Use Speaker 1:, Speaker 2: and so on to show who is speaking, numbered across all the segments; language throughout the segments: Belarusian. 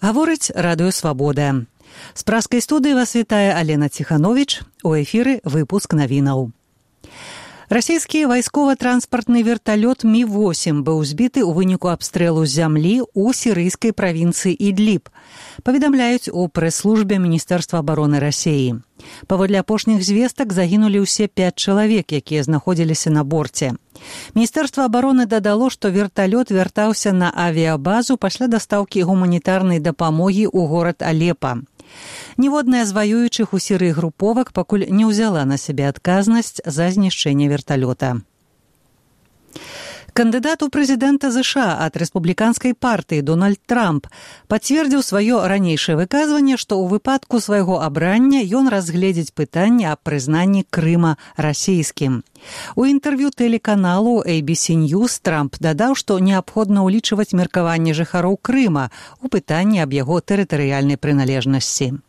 Speaker 1: Гаворыць радыё «Свабода». З праскай студыі вас вітае Алена Ціхановіч. У эфіры выпуск навінаў. Расійскі вайскова-транспартны верталёт Ми-8 быў збіты ў выніку абстрэлу з зямлі ў сірыйскай правінцыі Ідліб, паведамляюць у прэс-службе Міністэрства абароны Расіі. Паводле апошніх звестак загінулі ўсе 5 чалавек, якія знаходзіліся на борце. Міністэрства абароны дадало, што верталёт вяртаўся на авіябазу пасля дастаўкі гуманітарнай дапамогі ў горад Алепа. Ніводная з ваюючых у Сірыі груповак пакуль не ўзяла на сябе адказнасць за знішчэнне верталёта. Кандыдат у прэзідэнта США ад рэспубліканскай партыі Дональд Трамп пацвердзіў сваё ранейшае выказванне, што ў выпадку свайго абрання ён разгледзіць пытанне аб прызнанні Крыма расійскім. У інтэрв'ю тэлеканалу ABC News Трамп дадаў, што неабходна ўлічваць меркаванне жыхароў Крыма ў пытанні аб яго тэрытарыяльнай прыналежнасці.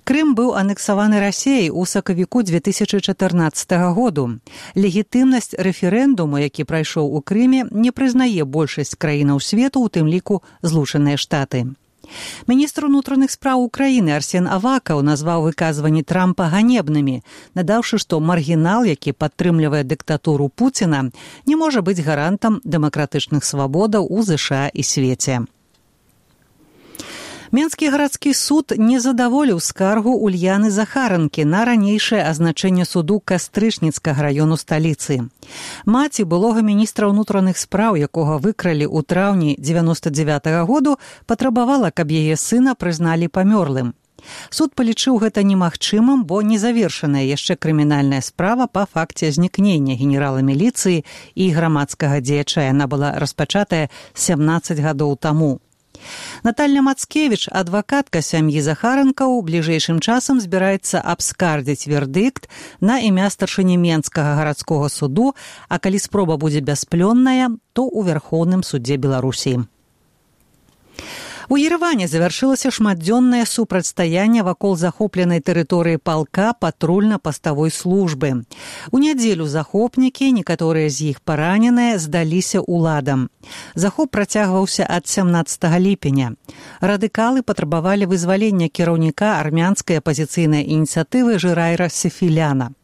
Speaker 1: Крым быў анексаваны Расіяй у сакавіку 2014 году. Легітымнасць рэферэндуму, які прайшоў у Крыме, не прызнае большасць краінаў свету, у тым ліку Злучаныя Штаты. Міністр унутраных спраў Украіны Арсен Авакаў назваў выказванні Трампа ганебнымі, надаўшы, што маргінал, які падтрымлівае дыктатуру Пуціна, не можа быць гарантам дэмакратычных свабодаў у ЗША і свеце. Менскі гарадскі суд не задаволіў скаргу Ульяны Захаранкі на ранейшае азначэнне суду Кастрычніцкага раёну сталіцы. Маці былога міністра ўнутраных спраў, якога выкралі ў траўні 99-го году, патрабавала, каб яе сына прызналі памёрлым. Суд палічыў гэта немагчымым, бо незавершаная яшчэ крымінальная справа па факце знікнення генерала міліцыі і грамадскага дзеяча. Яна была распачатая 17 гадоў таму. Наталья Мацкевіч, адвакатка сям'і Захаранкаў, бліжэйшым часам збіраецца абскардзіць вердыкт на імя старшыні Менскага гарадскога суду, а калі спроба будзе бясплённая, то ў Вярхоўным судзе Беларусі. У Ереване завяршылася шматдзённае супрацьстаянне вакол захопленай тэрыторыі палка патрульна-паставой службы. У нядзелю захопнікі, некаторыя з іх параненыя, здаліся ўладам. Захоп працягваўся ад 17 ліпеня. Радыкалы патрабавалі вызвалення кіраўніка армянскай апазіцыйнай ініцыятывы Жырайра Сефіляна.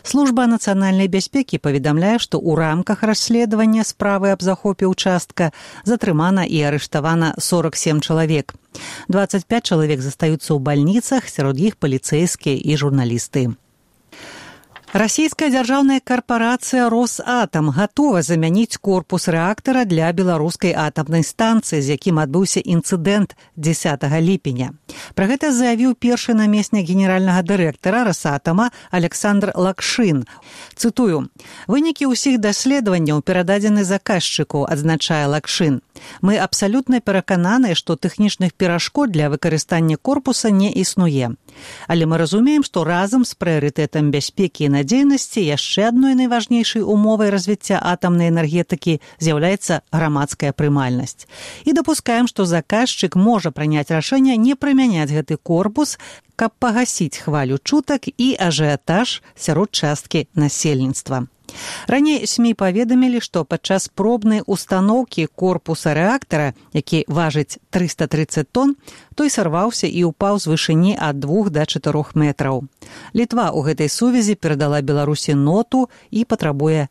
Speaker 1: Служба нацыянальнай бяспекі паведамляе, што ў рамках расследавання справы аб захопе ўчастка затрымана і арыштавана 47 чалавек. 25 чалавек застаюцца ў бальніцах, сярод іх паліцэйскія і журналісты. Расійская дзяржаўная карпарацыя «Росатам» гатова замяніць корпус рэактара для беларускай атамнай станцыі, з якім адбыўся інцыдэнт 10 ліпеня. Пра гэта заявіў першы намеснік генеральнага дырэктара «Росатама» Александр Лакшын. Цытую: «Вынікі ўсіх даследаванняў перададзены заказчыку», адзначае Лакшын. «Мы абсалютна перакананыя, што тэхнічных перашкод для выкарыстання корпуса не існуе. Але мы разумеем, што разам з прыярытэтам бяспекі і надзейнасці яшчэ адной найважнейшай умовай развіцця атамнай энергетыкі з'яўляецца грамадская прымальнасць. І дапускаем, што заказчык можа прыняць рашэнне не прымяняць гэты корпус, каб пагасіць хвалю чутак і ажыятаж сярод часткі насельніцтва». Раней СМІ паведамілі, што падчас пробнай устаноўкі корпуса рэактара, які важыць 330 тонн, той сарваўся і ўпаў з вышыні ад 2 до 4 метраў. Літва ў гэтай сувязі перадала Беларусі ноту і патрабуе